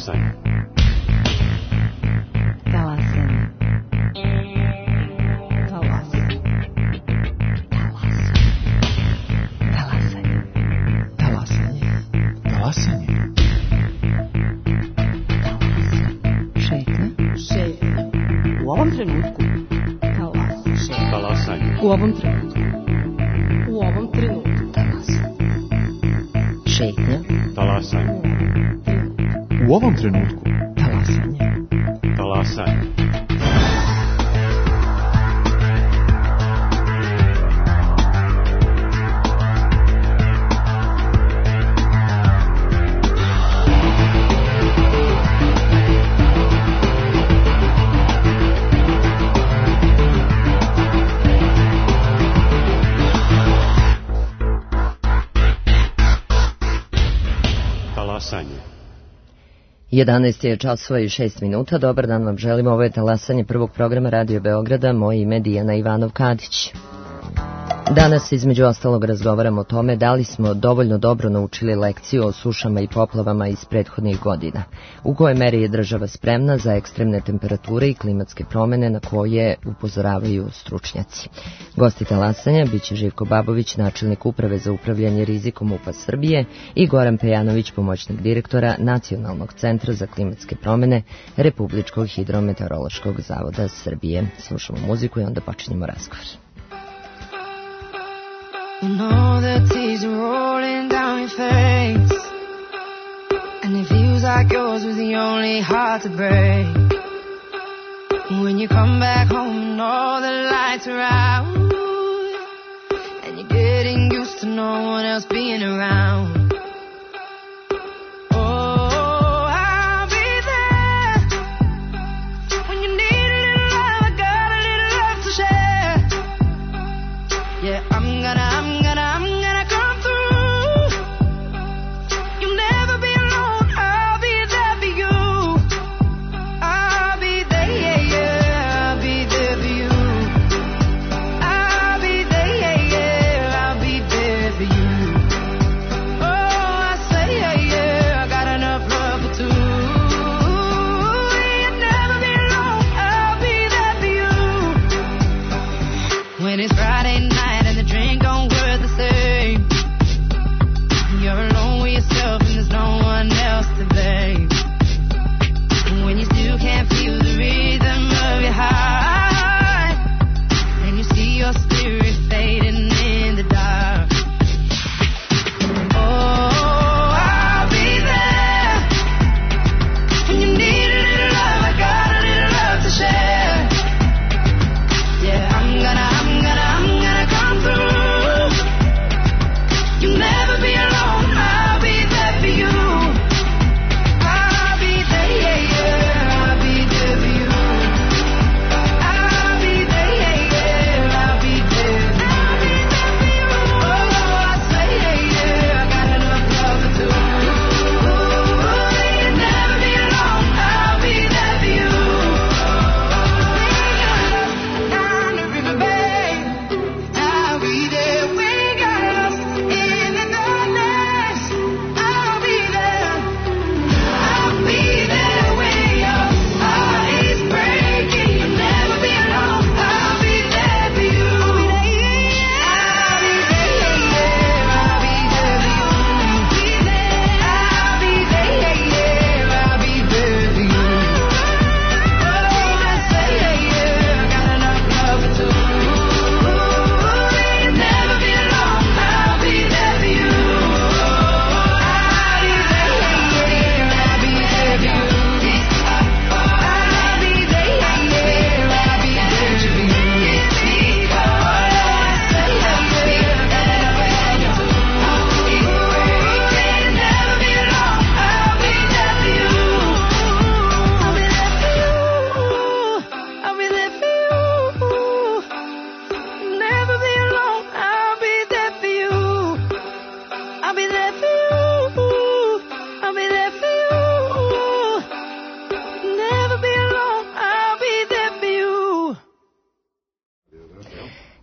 Talasanje. Talasanje. Talasanje. Talasanje. Talasanje. Šetnja. Šetnja. U ovom trenutku. Talasanje. U ovom trenutku. U ovom trenutku. Talasanje. Šetnja. Talasanje. U ovom trenutku. Talasanje. Talasanje. Talasanje. 11 je časova i 6 minuta. Dobar dan vam želimo. Ovo je talasanje prvog programa Radio Beograda. Moje ime je Dijana Ivanov-Kadić. Danas između ostalog razgovaramo o tome da li smo dovoljno dobro naučili lekciju o sušama i poplavama iz prethodnih godina. U kojoj meri je država spremna za ekstremne temperature i klimatske promene na koje upozoravaju stručnjaci. Gosti talasanja biće Živko Babović, načelnik Uprave za upravljanje rizikom UPA Srbije, i Goran Pejanović, pomoćnik direktora Nacionalnog centra za klimatske promene Republičkog hidrometeorološkog zavoda Srbije. Slušamo muziku i onda počinjemo razgovor. You know the tears are rolling down your face, and it feels like yours was the only heart to break. When you come back home and all the lights are out, and you're getting used to no one else being around. When it's Friday night and the drink don't work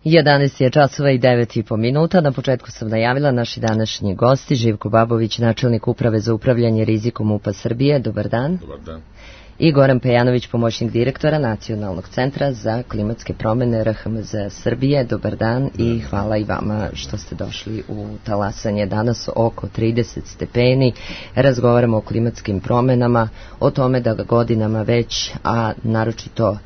11 je časova i 9,5 minuta. Na početku sam najavila naši današnji gosti, Živko Babović, načelnik Uprave za upravljanje rizikom MUP-a Srbije. Dobar dan. Dobar dan. I Goran Pejanović, pomoćnik direktora Nacionalnog centra za klimatske promene RHMZ Srbije. Dobar dan i hvala i vama što ste došli u talasanje. Danas oko 30 stepeni. Razgovaramo o klimatskim promenama, o tome da godinama već, a naročito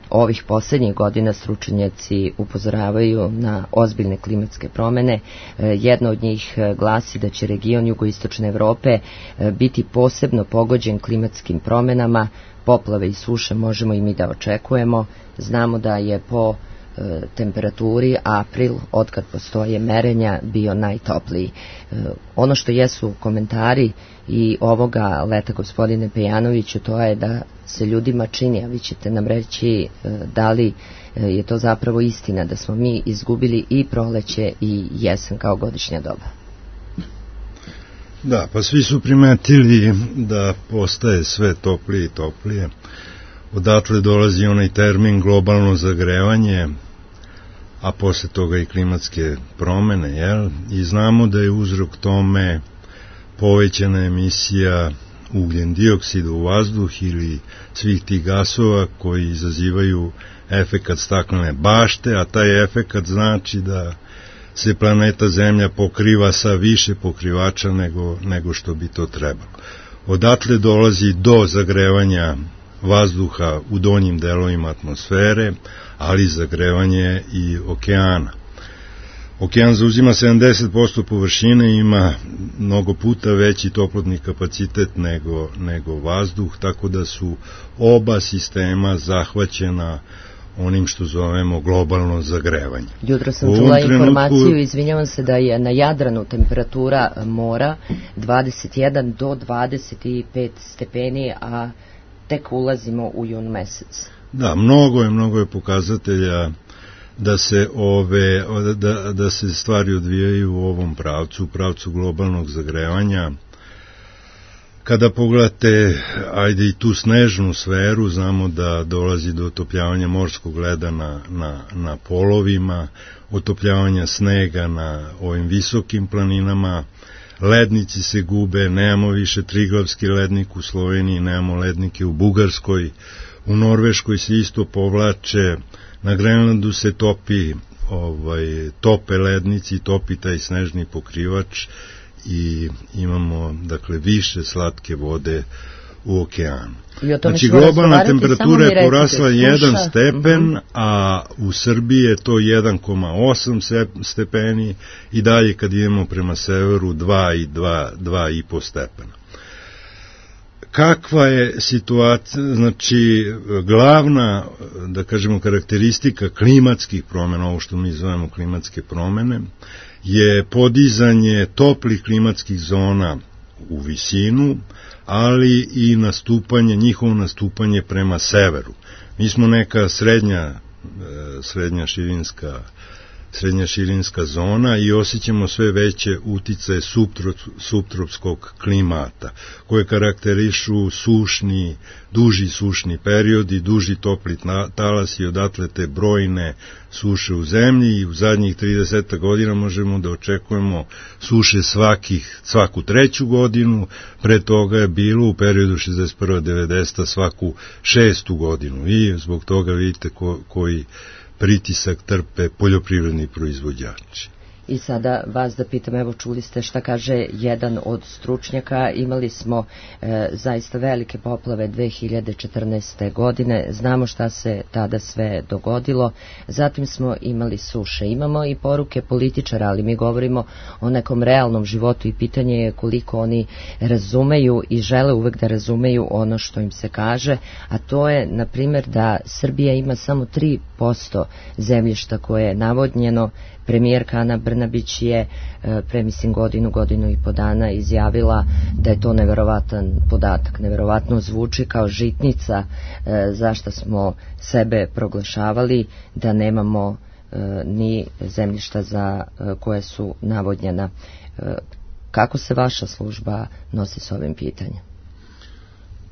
ovih posljednjih godina stručnjaci upozoravaju na ozbiljne klimatske promene. Jedna od njih glasi da će region jugoistočne Evrope biti posebno pogođen klimatskim promenama. Poplave i suše možemo i mi da očekujemo. Znamo da je po temperaturi april, otkad postoje merenja, bio najtopliji. Ono što jesu komentari i ovoga leta, gospodine Pejanoviću, to je da se ljudima čini, a vi ćete nam reći da li je to zapravo istina, da smo mi izgubili i proleće i jesen kao godišnja doba. Da, pa svi su primetili da postaje sve toplije i toplije. Odatle dolazi onaj termin globalno zagrevanje, a posle toga i klimatske promene, jel? I znamo da je uzrok tome povećana emisija ugljen dioksida u vazduh ili svih tih gasova koji izazivaju efekat staklene bašte, a taj efekat znači da se planeta Zemlja pokriva sa više pokrivača nego što bi to trebalo. Odatle dolazi do zagrevanja vazduha u donjim delovima atmosfere, ali zagrevanje i okeana. Okean zauzima 70% površine i ima mnogo puta veći toplotni kapacitet nego vazduh, tako da su oba sistema zahvaćena onim što zovemo globalno zagrevanje. Jutro sam čula informaciju, izvinjavam se, da je na Jadranu temperatura mora 21 do 25 stepeni, a tek ulazimo u jun mesec. Da, mnogo je pokazatelja da se stvari odvijaju u ovom pravcu, u pravcu globalnog zagrevanja. Kada pogledate, ajde i tu snežnu sferu, znamo da dolazi do otopljavanja morskog leda na polovima, otopljavanja snega na ovim visokim planinama, lednici se gube, nemamo više Triglavski lednik u Sloveniji, nemamo lednike u Bugarskoj, u Norveškoj se isto povlače, na Grenlandu se tope lednici, topi taj snežni pokrivač i imamo, dakle, više slatke vode u okeanu. Znači, globalna temperatura je porasla 1 stepen, a u Srbiji je to 1,8 stepeni i dalje kad idemo prema severu 2,5 stepena. Kakva je situacija, znači glavna, da kažemo, karakteristika klimatskih promjena, ovo što mi zovemo klimatske promjene, je podizanje toplih klimatskih zona u visinu, ali i njihovo nastupanje prema severu. Mi smo neka srednja širinska zona i osjećamo sve veće uticaje suptropskog klimata, koje karakterišu duži sušni periodi, duži topli talas i odatle te brojne suše u zemlji i u zadnjih 30 godina možemo da očekujemo suše svaku treću godinu, pre toga je bilo u periodu 61-90 svaku 6. godinu i zbog toga vidite koji pritisak trpe poljoprivredni proizvođači. I sada vas da pitam, evo čuli ste šta kaže jedan od stručnjaka, imali smo zaista velike poplave 2014. godine, znamo šta se tada sve dogodilo, zatim smo imali suše, imamo i poruke političara, ali mi govorimo o nekom realnom životu i pitanje je koliko oni razumeju i žele uvek da razumeju ono što im se kaže, a to je, na primjer, da Srbija ima samo 3% zemljišta koje je navodnjeno. Premijerka Ana Brnabić je pre godinu i po dana izjavila da je to neverovatan podatak, neverovatno zvuči kao žitnica zašto smo sebe proglašavali da nemamo ni zemljišta za koje su navodnjena. Kako se vaša služba nosi s ovim pitanjem?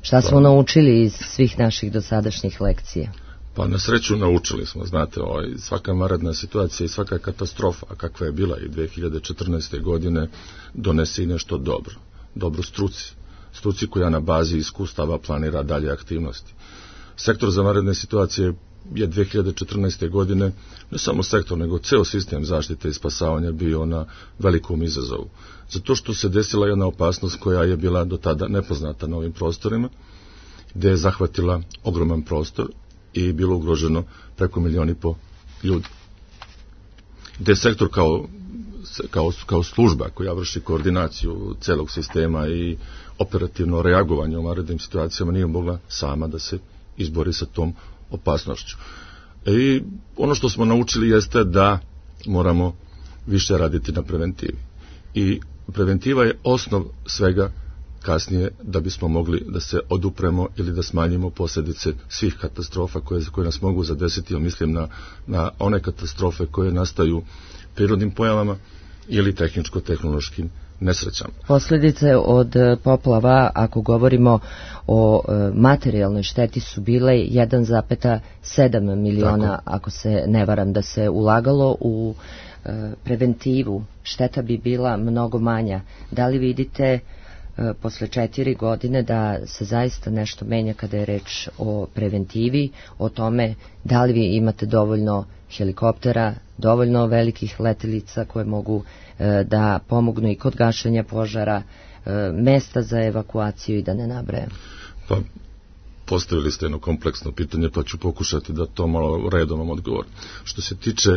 Šta smo naučili iz svih naših dosadašnjih lekcija? Pa na sreću naučili smo, znate, svaka vanredna situacija i svaka katastrofa, a kakva je bila i 2014. godine, donese i nešto dobro struci koja na bazi iskustava planira dalje aktivnosti. Sektor za vanredne situacije je 2014. godine, ne samo sektor, nego ceo sistem zaštite i spasavanja bio na velikom izazovu. Zato što se desila jedna opasnost koja je bila do tada nepoznata na ovim prostorima, gde je zahvatila ogroman prostor i bilo ugroženo preko 1,5 miliona ljudi. Gde je sektor kao služba koja vrši koordinaciju celog sistema i operativno reagovanje u vanrednim situacijama nije mogla sama da se izbori sa tom opasnošću. I ono što smo naučili jeste da moramo više raditi na preventivi. I preventiva je osnov svega kasnije da bismo mogli da se odupremo ili da smanjimo posljedice svih katastrofa koje nas mogu zadesiti. Mislim na one katastrofe koje nastaju prirodnim pojavama ili tehničko-tehnološkim nesrećama. Posljedice od poplava, ako govorimo o materijalnoj šteti, su bile 1,7 miliona, tako, ako se ne varam, da se ulagalo u preventivu. Šteta bi bila mnogo manja. Da li vidite posle 4 godine da se zaista nešto menja kada je reč o preventivi, o tome da li vi imate dovoljno helikoptera, dovoljno velikih letelica koje mogu da pomognu i kod gašenja požara, mesta za evakuaciju i da ne nabrajam? Pa, postavili ste jedno kompleksno pitanje, pa ću pokušati da to malo redom vam odgovorim. Što se tiče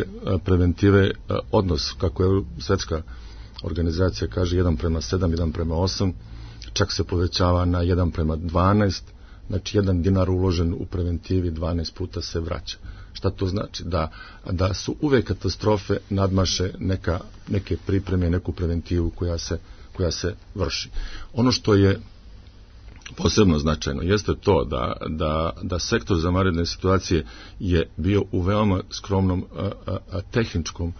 preventive, odnos, kako je svetska organizacija kaže, 1:7, 1:8, čak se povećava na 1:12, znači 1 dinar uložen u preventivi 12 puta se vraća. Šta to znači? Da su uvek katastrofe nadmaše neke pripreme, neku preventivu koja se vrši. Ono što je posebno značajno jeste to da sektor za vanredne situacije je bio u veoma skromnom tehničkom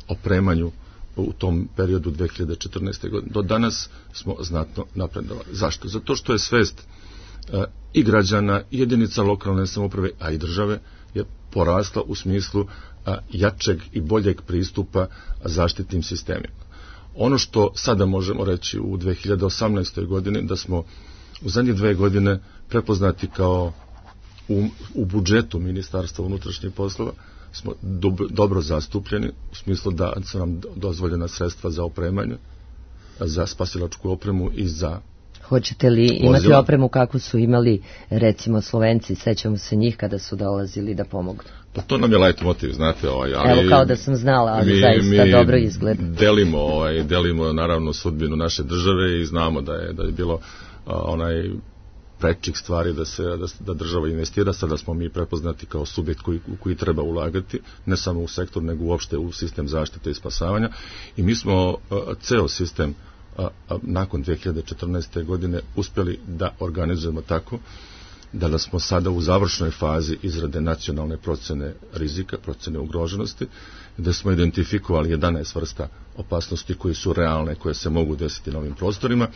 opremanju u tom periodu 2014. godine. Do danas smo znatno napredovali. Zašto? Zato što je svest i građana, i jedinica lokalne samouprave, a i države je porasla u smislu jačeg i boljeg pristupa zaštitnim sistemima. Ono što sada možemo reći u 2018. godini, da smo u zadnje 2 godine prepoznati kao u budžetu Ministarstva unutrašnjih poslova, smo dobro zastupljeni, u smislu da su nam dozvoljena sredstva za opremanje, za spasilačku opremu i za Hoćete li imati opremu kako su imali recimo Slovenci, sećamo se njih kada su dolazili da pomogu? Pa to nam je leitmotiv, znate, ali evo, kao da sam znala, ali zaista dobro izgleda. Delimo naravno sudbinu naše države i znamo da je bilo onaj prečih stvari da država investira. Sada smo mi prepoznati kao subjekt koji treba ulagati, ne samo u sektor, nego uopšte u sistem zaštite i spasavanja, i mi smo ceo sistem nakon 2014. godine uspjeli da organizujemo tako da smo sada u završnoj fazi izrade nacionalne procene rizika, procene ugroženosti, gde smo identifikovali 11 vrsta opasnosti koje su realne, koje se mogu desiti na ovim prostorima.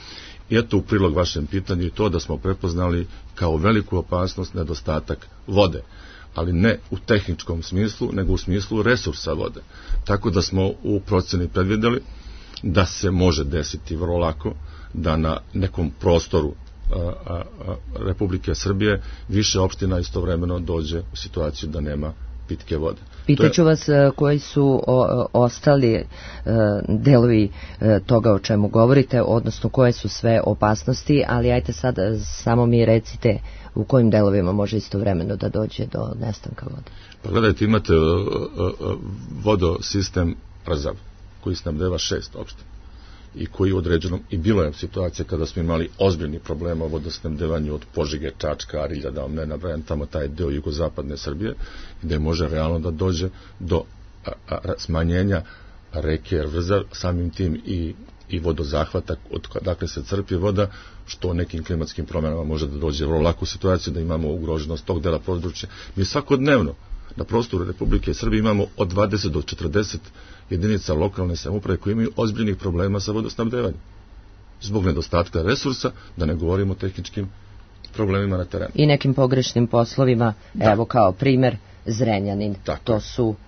I eto, u prilog vašem pitanju i to da smo prepoznali kao veliku opasnost nedostatak vode, ali ne u tehničkom smislu, nego u smislu resursa vode. Tako da smo u proceni predvideli da se može desiti vrlo lako da na nekom prostoru Republike Srbije više opština istovremeno dođe u situaciju da nema pitke vode. Pitaću vas koji su ostali delovi toga o čemu govorite, odnosno koje su sve opasnosti, ali ajte sad samo mi recite u kojim delovima može istovremeno da dođe do nestanka vode. Pa gledajte, imate vodosistem Rzav koji snabdeva 6 opština i koji određenom, i bilo je situacija kada smo imali ozbiljni problema o vodosnabdevanju od Požege, Čačka, Arilja, da vam ne nabrajam tamo taj deo jugozapadne Srbije, gde može realno da dođe do smanjenja reke Rzav, samim tim i vodozahvata odakle se crpi voda, što nekim klimatskim promjenama može da dođe vrlo lako u situaciju da imamo ugroženost tog dela područja. Mi svakodnevno na prostoru Republike Srbije imamo od 20 do 40 jedinica lokalne samouprave koji imaju ozbiljnih problema sa vodosnabdevanjem. Zbog nedostatka resursa, da ne govorimo o tehničkim problemima na terenu. I nekim pogrešnim poslovima, evo kao primer Zrenjanin.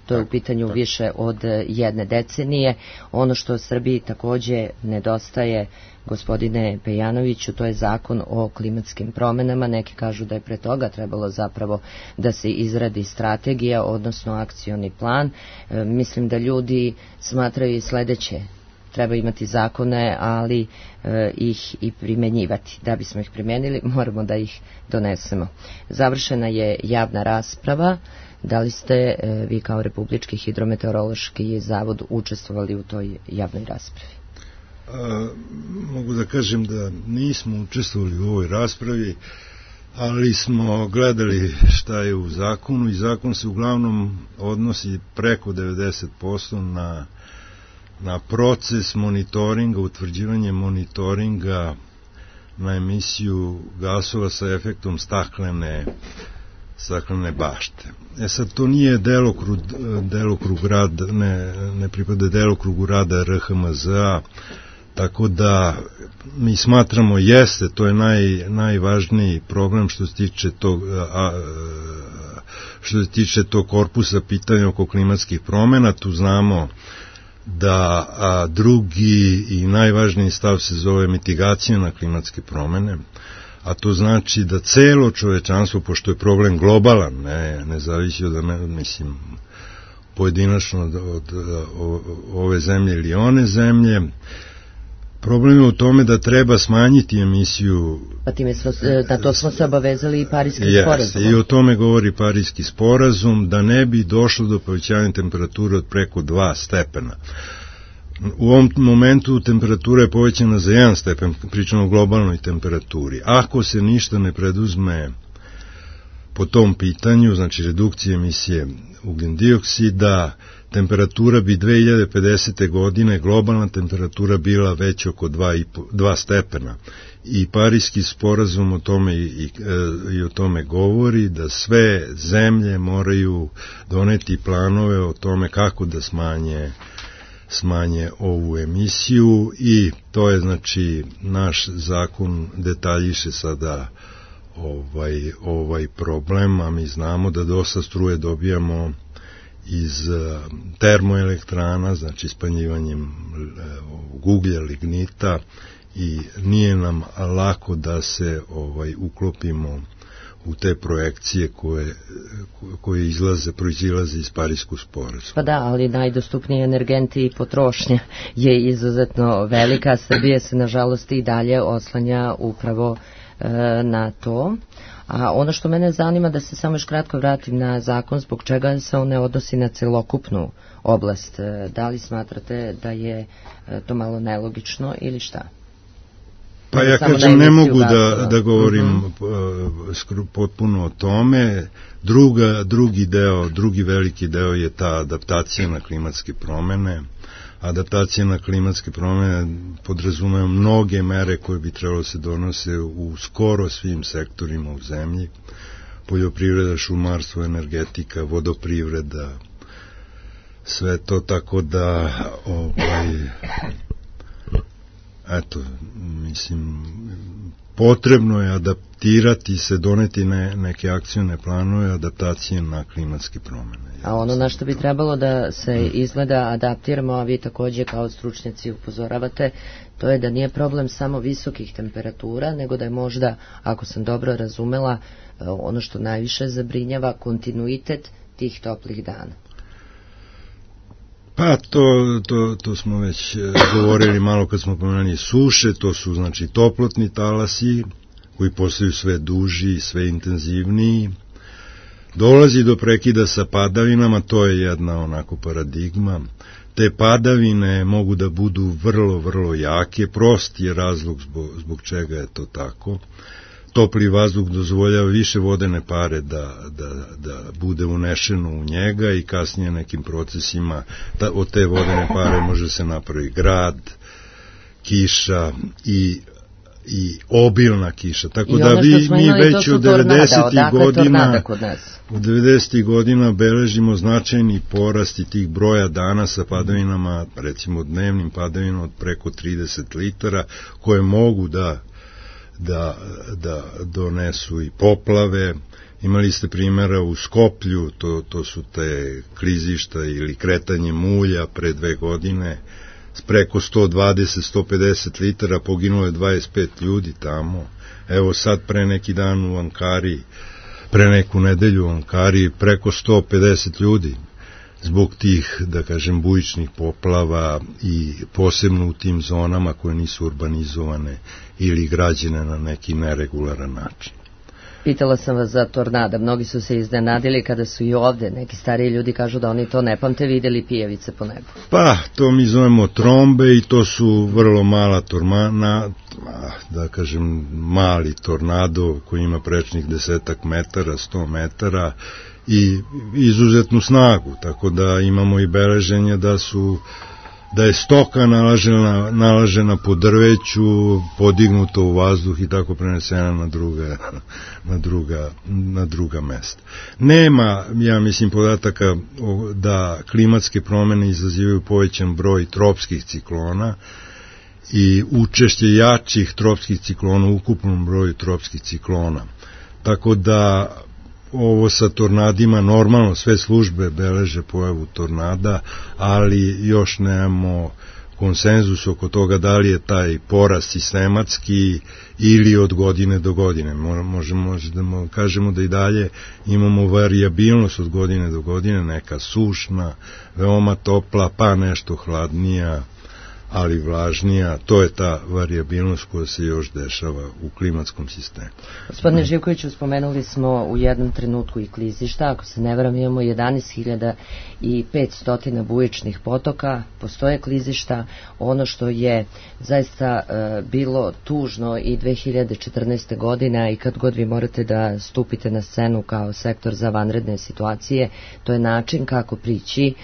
To je u pitanju više od jedne decenije. Ono što Srbiji takođe nedostaje, gospodine Pejanoviću, to je zakon o klimatskim promenama. Neki kažu da je pre toga trebalo zapravo da se izradi strategija, odnosno akcioni plan. Mislim da ljudi smatraju i sledeće: treba imati zakone, ali ih i primenjivati. Da bismo ih primenili, moramo da ih donesemo. Završena je javna rasprava. Da li ste vi kao Republički hidrometeorološki zavod učestvovali u toj javnoj raspravi? Mogu da kažem da nismo učestvovali u ovoj raspravi, ali smo gledali šta je u zakonu i zakon se uglavnom odnosi preko 90% na proces monitoringa, utvrđivanje monitoringa na emisiju gasova sa efektom staklene bašte. Sad, to nije delokrug rada, ne pripada delokrugu rada RHMZ-a, tako da mi smatramo to je najvažniji problem što se tiče tog korpusa pitanja oko klimatskih promena. Tu znamo da drugi i najvažniji stav se zove mitigacija na klimatske promene, a to znači da celo čovečanstvo, pošto je problem globalan, ne zavisi od, pojedinačno od ove zemlje ili one zemlje, problem je u tome da treba smanjiti emisiju. Pa time na to smo se obavezali i Parijskim sporazumom. I o tome govori Parijski sporazum, da ne bi došlo do povećanja temperature od preko 2 stepena. U ovom momentu temperatura je povećana za 1 stepen, pričamo o globalnoj temperaturi. Ako se ništa ne preduzme po tom pitanju, znači redukcije emisije ugljendioksida, temperatura bi 2050. godine, globalna temperatura bila već oko 2 stepena. I Parijski sporazum o tome i o tome govori, da sve zemlje moraju doneti planove o tome kako da smanje ovu emisiju, i to je, znači, naš zakon detaljiše sada ovaj problem, a mi znamo da dosta struje dobijamo iz termoelektrana, znači spaljivanjem uglja, lignita, i nije nam lako da se uklopimo u te projekcije koje proizilaze iz Parijskog sporazuma. Pa da, ali najdostupniji energenti i potrošnja je izuzetno velika. Srbija se nažalost i dalje oslanja upravo na to. A ono što mene zanima, da se samo još kratko vratim na zakon, zbog čega se on ne odnosi na celokupnu oblast. Da li smatrate da je to malo nelogično ili šta? Pa ja kažem, ne mogu da govorim potpuno o tome. Drugi veliki deo je ta adaptacija na klimatske promene. Adaptacija na klimatske promene podrazumeva mnoge mere koje bi trebalo se donose u skoro svim sektorima u zemlji. Poljoprivreda, šumarstvo, energetika, vodoprivreda, sve to, tako da potrebno je adaptirati se, doneti neke akcione planove adaptacije na klimatske promene. A ono na što bi trebalo da se izgleda adaptiramo, a vi takođe kao stručnjaci upozoravate, to je da nije problem samo visokih temperatura, nego da je možda, ako sam dobro razumela, ono što najviše zabrinjava, kontinuitet tih toplih dana. Pa to smo već govorili malo kad smo pomenuli suše. To su, znači, toplotni talasi koji postaju sve duži i sve intenzivniji. Dolazi do prekida sa padavinama, to je jedna onako paradigma. Te padavine mogu da budu vrlo, vrlo jake. Prost je razlog zbog čega je to tako. Topli vazduh dozvoljava više vodene pare da bude unešeno u njega, i kasnije nekim procesima od te vodene pare može se napravi grad, kiša i obilna kiša. Tako da mi već od 90. godina beležimo značajni porast i tih broja dana sa padavinama, recimo dnevnim padavinama od preko 30 litara, koje mogu da da donesu i poplave. Imali ste primjera u Skoplju, to su te klizišta ili kretanje mulja pre 2 godine, preko 120-150 litara, poginulo je 25 ljudi tamo. Evo sad pre neki dan u Ankari, pre neku nedelju u Ankari, preko 150 ljudi zbog tih, da kažem, bujičnih poplava i posebno u tim zonama koje nisu urbanizovane ili građene na neki neregularan način. Pitala sam vas za tornada, mnogi su se iznenadili kada su i ovde, neki stariji ljudi kažu da oni to ne pamte, videli pijavice po nebu. Pa, to mi zovemo trombe i to su vrlo mala da kažem, mali tornado koji ima prečnih 10 metara, 100 metara i izuzetnu snagu, tako da imamo i beleženje da je stoka nalažena po drveću, podignuta u vazduh i tako prenesena na druga mesta. Nema, ja mislim, podataka da klimatske promene izazivaju povećan broj tropskih ciklona i učešće jačih tropskih ciklona u ukupnom broju tropskih ciklona. Tako da ovo sa tornadima, normalno sve službe beleže pojavu tornada, ali još nemamo konsenzus oko toga da li je taj porast sistematski ili od godine do godine. Možemo da kažemo da i dalje imamo varijabilnost od godine do godine, neka sušna, veoma topla, pa nešto hladnija, ali vlažnija. To je ta varijabilnost koja se još dešava u klimatskom sistemu. Gospodine Živkoviću, spomenuli smo u jednom trenutku i klizišta, ako se ne varam imamo 11.500 bujičnih potoka, postoje klizišta. Ono što je zaista bilo tužno i 2014. godina i kad god vi morate da stupite na scenu kao sektor za vanredne situacije, to je način kako prići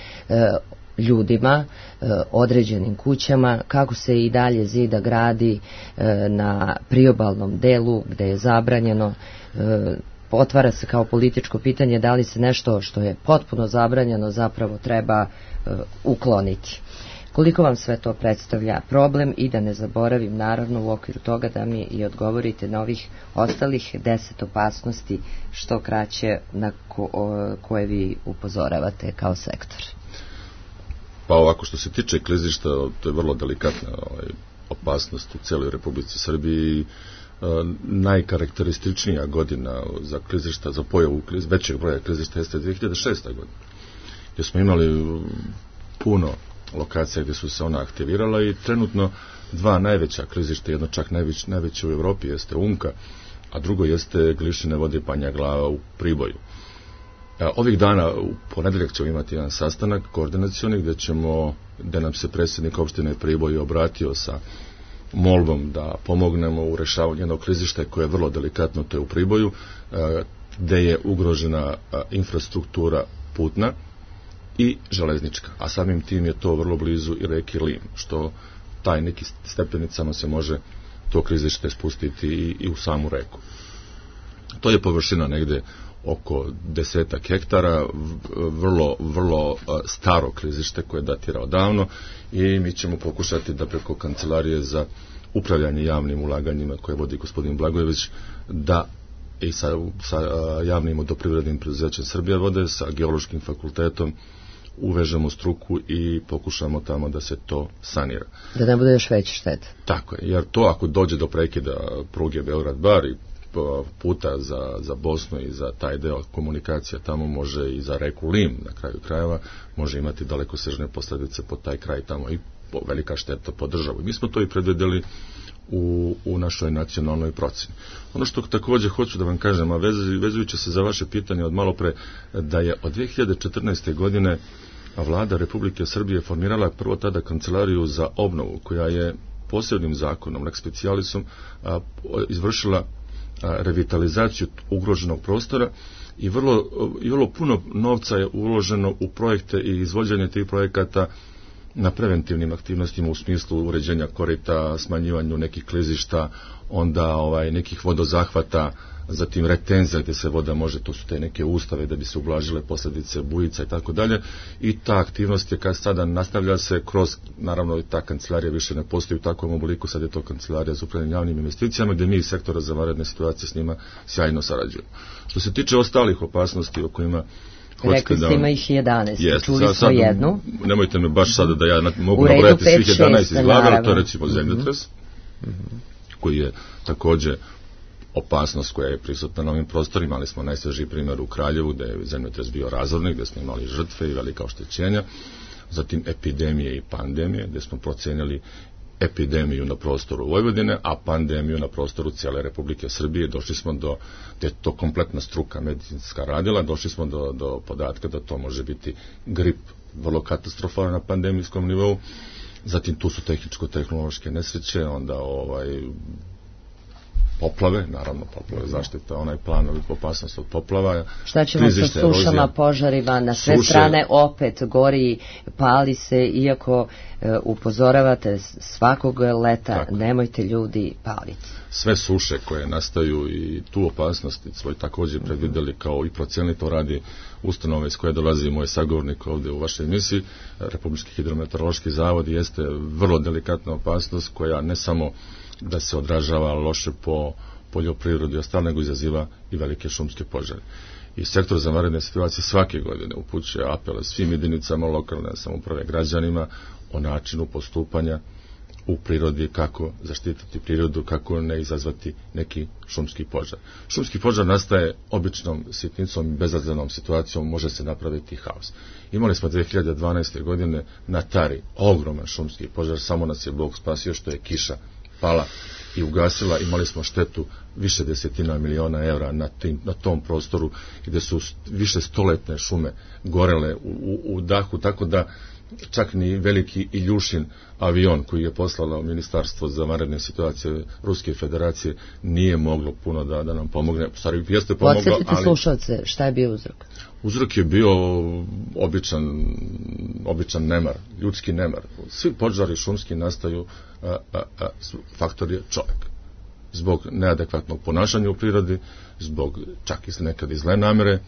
ljudima, određenim kućama, kako se i dalje zida gradi na priobalnom delu gde je zabranjeno. Otvara se kao političko pitanje da li se nešto što je potpuno zabranjeno zapravo treba ukloniti. Koliko vam sve to predstavlja problem i da ne zaboravim naravno u okviru toga da mi i odgovorite na ovih ostalih 10 opasnosti što kraće na koje vi upozoravate kao sektor. Pa ovako, što se tiče klizišta, to je vrlo delikatna opasnost u celoj Republici Srbiji. Najkarakterističnija godina za klizišta, za pojavu većeg broja klizišta jeste 2006. godina, gdje smo imali puno lokacija gdje su se ona aktivirala i trenutno 2 najveća klizišta, jedno čak najveće u Evropi jeste Umka, a drugo jeste Glišine vode Banja Glava u Priboju. Ovih dana, u ponedeljak ćemo imati jedan sastanak koordinacioni gdje nam se predsjednik opštine Priboj obratio sa molbom da pomognemo u rešavanju jednog klizišta koje je vrlo delikatno, to je u Priboju, gdje je ugrožena infrastruktura putna i železnička, a samim tim je to vrlo blizu i reki Lim, što taj neki stepenicama se može to klizište spustiti i u samu reku. To je površina negde oko 10 hektara, vrlo staro klizište koje datira odavno i mi ćemo pokušati da preko Kancelarije za upravljanje javnim ulaganjima koje vodi gospodin Blagojević, da i sa javnim vodoprivrednim preduzećem Srbija vode, sa Geološkim fakultetom uvežemo struku i pokušamo tamo da se to sanira. Da ne bude još veća šteta. Tako je, jer to ako dođe do prekida pruge Beograd-Bar i puta za Bosnu i za taj deo komunikacija tamo može i za reku Lim na kraju krajeva može imati dalekosežne posljedice po taj kraj tamo i velika šteta po državu. Mi smo to i predvideli u našoj nacionalnoj procjeni. Ono što također hoću da vam kažem, a vezujući se za vaše pitanje od malo pre, da je od 2014. godine Vlada Republike Srbije formirala prvo tada Kancelariju za obnovu, koja je posebnim zakonom, lex specialisom, izvršila revitalizaciju ugroženog prostora i vrlo puno novca je uloženo u projekte i izvođenje tih projekata na preventivnim aktivnostima u smislu uređenja korita, smanjivanju nekih klizišta, onda nekih vodozahvata, zatim retenzija gdje se voda može, to su te neke ustave da bi se ublažile posljedice bujica i tako dalje. I ta aktivnost je kad sada nastavlja se kroz, naravno ta kancelarija više ne postoji u takvom obliku, sad je to kancelarija za upravljanje javnim investicijama gdje mi iz sektora za vanredne situacije s njima sjajno sarađujemo. Što se tiče ostalih opasnosti o kojima rekli ste ima ih 11, čuli smo jednu. Nemojte me baš sada da ja mogu nabrojati svih 11 izglagala, to je recimo zemljotres, koji je također opasnost koja je prisutna na ovim prostorima, ali smo najsvežiji primjer u Kraljevu, gdje je zemljotres bio razorni, gdje smo imali žrtve i velika oštećenja, zatim epidemije i pandemije, gdje smo procenili epidemiju na prostoru Vojvodine, a pandemiju na prostoru cijele Republike Srbije. Došli smo do, gdje je to kompletna struka medicinska radila, došli smo do podatka da to može biti grip vrlo katastrofalan na pandemijskom nivou, zatim tu su tehničko-tehnološke nesreće, onda poplave, naravno poplave, zaštita, onaj plan opasnost od poplava. Šta ćemo sa sušama, požarima, na sve strane opet gori, pali se, iako upozoravate svakog leta, nemojte ljudi paliti. Sve suše koje nastaju i tu opasnost svoj također predvidjeli kao i procenili, to radi ustanove iz koje dolazi moj sagovornik ovdje u vašoj emisiji. Republički hidrometeorološki zavod jeste vrlo delikatna opasnost koja ne samo da se odražava loše po poljoprivredi i ostalo, nego izaziva i velike šumske požare. I sektor za vanredne situacije svake godine upućuje apele svim jedinicama lokalne samouprave, građanima o načinu postupanja u prirodi, kako zaštititi prirodu, kako ne izazvati neki šumski požar. Šumski požar nastaje običnom sitnicom i bezazlenom situacijom, može se napraviti haos. Imali smo 2012. godine na Tari ogroman šumski požar, samo nas je Bog spasio što je kiša pala i ugasila, imali smo štetu više desetina miliona evra na tom prostoru gdje su više stoletne šume gorele u dahu, tako da čak ni veliki Iljušin avion koji je poslalo Ministarstvo za vanredne situacije Ruske federacije nije moglo puno da nam pomogne. Stvari, jeste pomoglo, podsjetite slušalce, šta je bio uzrok? Uzrok je bio običan nemar, ljudski nemar. Svi požari šumski nastaju, faktor je čovjek. Zbog neadekvatnog ponašanja u prirodi, zbog čak i nekad i zle namere,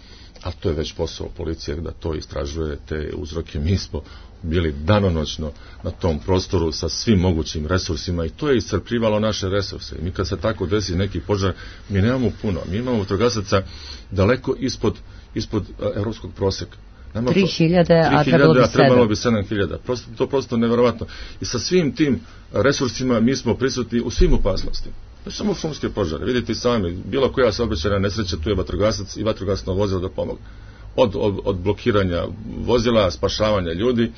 a to je već posao policije da to istražuje, te uzroke. Mi smo bili danonoćno na tom prostoru sa svim mogućim resursima i to je iscrpljivalo naše resurse. I mi kad se tako desi neki požar, mi nemamo puno. Mi imamo vatrogasaca daleko ispod evropskog prosjeka. 3.000, a trebalo bi 7.000. To prosto nevjerovatno. I sa svim tim resursima mi smo prisutni u svim opasnostima. To je samo šumske požare. Vidite sami, bilo koja saobraćajna nesreća, tu je vatrogasac i vatrogasno vozilo da pomogne. Od blokiranja vozila, spašavanja ljudi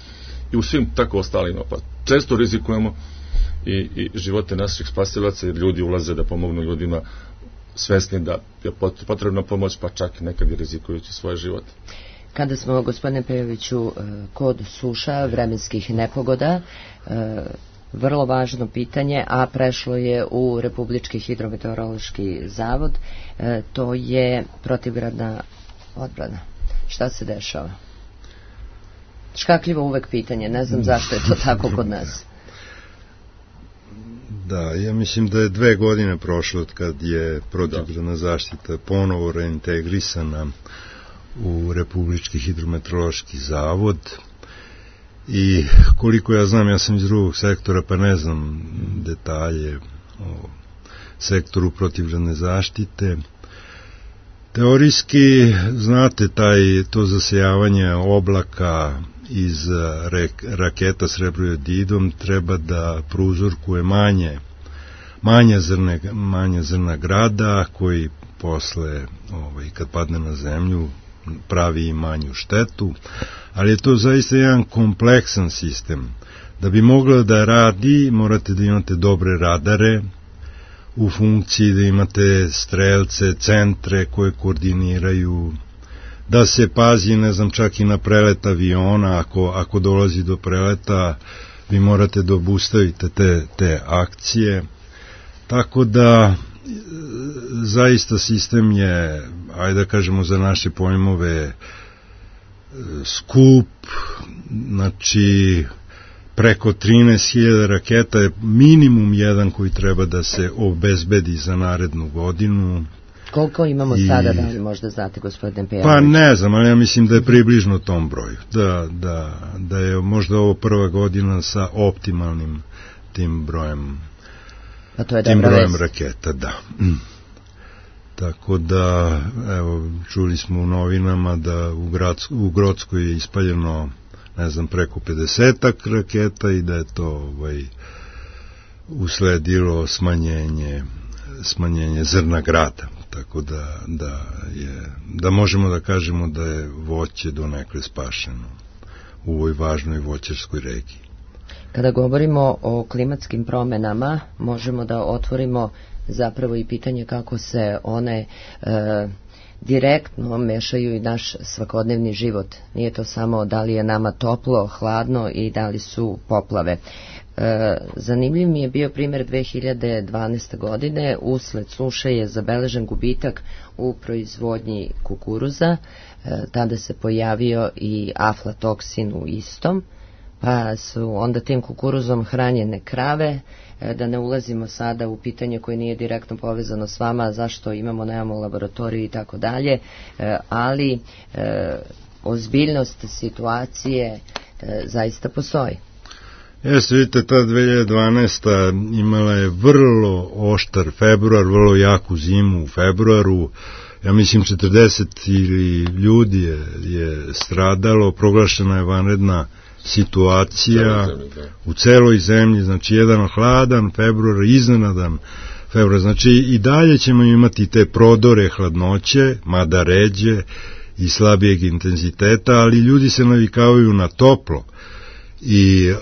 i u svim tako ostalim opasnostima. Često rizikujemo i živote naših spasilaca, jer ljudi ulaze da pomognu ljudima svesni da je potrebna pomoć, pa čak nekad i rizikujući svoje živote. Kada smo, gospodine Pejoviću, kod suša, vremenskih nepogoda, vrlo važno pitanje, a prešlo je u Republički hidrometeorološki zavod, to je protivgradna odbrana. Šta se dešava? Škakljivo uvek pitanje, ne znam zašto je to tako kod nas. Da, ja mislim da je 2 godine prošlo od kad je protivgradna zaštita ponovo reintegrisana u Republički hidrometeorološki zavod i koliko ja znam, ja sam iz drugog sektora pa ne znam detalje o sektoru protivgradne zaštite. Teorijski, znate, to zasejavanje oblaka iz raketa s rebroididom treba da prouzrokuje manje zrna grada koji posle, kad padne na zemlju, pravi i manju štetu, ali je to zaista jedan kompleksan sistem. Da bi mogla da radi, morate da imate dobre radare u funkciji, da imate strelce, centre koje koordiniraju, da se pazi, ne znam, čak i na prelet aviona, ako dolazi do preleta, vi morate da obustavite te akcije. Tako da zaista sistem je, ajde da kažemo za naše pojmove, skup, znači preko 13.000 raketa je minimum jedan koji treba da se obezbedi za narednu godinu. Koliko imamo sada, da li možda znate, gospodine Pejanović? Pa ne znam, ali ja mislim da je približno tom broju. Da je možda ovo prva godina sa optimalnim tim brojem, pa to je tim brojem raketa, da. Tako da, evo, čuli smo u novinama da u Grockoj je ispaljeno, ne znam, preko 50 raketa i da je to usledilo smanjenje zrna grada. Tako da možemo da kažemo da je voće donekle spašeno u ovoj važnoj voćarskoj regiji. Kada govorimo o klimatskim promenama, možemo da otvorimo zapravo i pitanje kako se one direktno mešaju i naš svakodnevni život. Nije to samo da li je nama toplo, hladno i da li su poplave. Zanimljiv mi je bio primjer 2012. godine. Usled suše je zabeležen gubitak u proizvodnji kukuruza. Tada se pojavio i aflatoksin u istom, pa su onda tim kukuruzom hranjene krave. Da ne ulazimo sada u pitanje koje nije direktno povezano s vama, zašto nemamo laboratoriju i tako dalje, ali ozbiljnost situacije zaista postoji. Jeste, vidite, ta 2012. imala je vrlo oštar februar, vrlo jaku zimu u februaru. Ja mislim 40 ili ljudi je stradalo, proglašena je vanredna situacija u celoj zemlji, znači jedan hladan februar, iznenadan februar, znači i dalje ćemo imati te prodore hladnoće, mada ređe i slabijeg intenziteta, ali ljudi se navikavaju na toplo i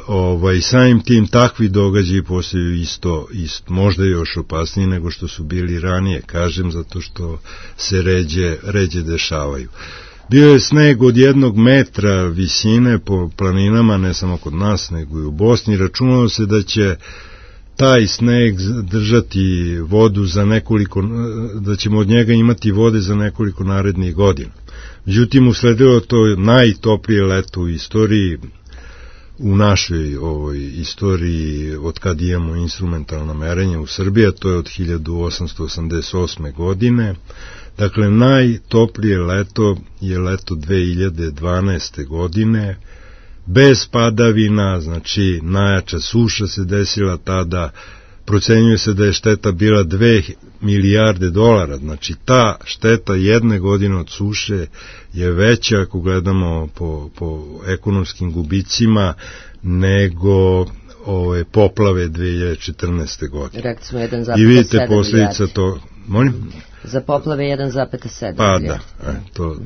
samim tim takvi događaji postaju isto, možda još opasniji nego što su bili ranije, kažem, zato što se ređe dešavaju. Bio je sneg od 1 metra visine po planinama, ne samo kod nas, nego i u Bosni. Računalo se da će taj sneg držati vodu za nekoliko, da ćemo od njega imati vode za nekoliko narednih godina. Međutim, usledilo to najtoplije leto u istoriji, u našoj istoriji od kad imamo instrumentalno merenje u Srbiji, to je od 1888. godine. Dakle, najtoplije leto je leto 2012. godine, bez padavina, znači najjača suša se desila tada, procenjuje se da je šteta bila $2 milijarde, znači ta šteta jedne godine od suše je veća, ako gledamo po ekonomskim gubicima, nego poplave 2014. godine. Rekli smo 1,7 i vidite posljedica to, molim? Za poplave 1,7 pa da,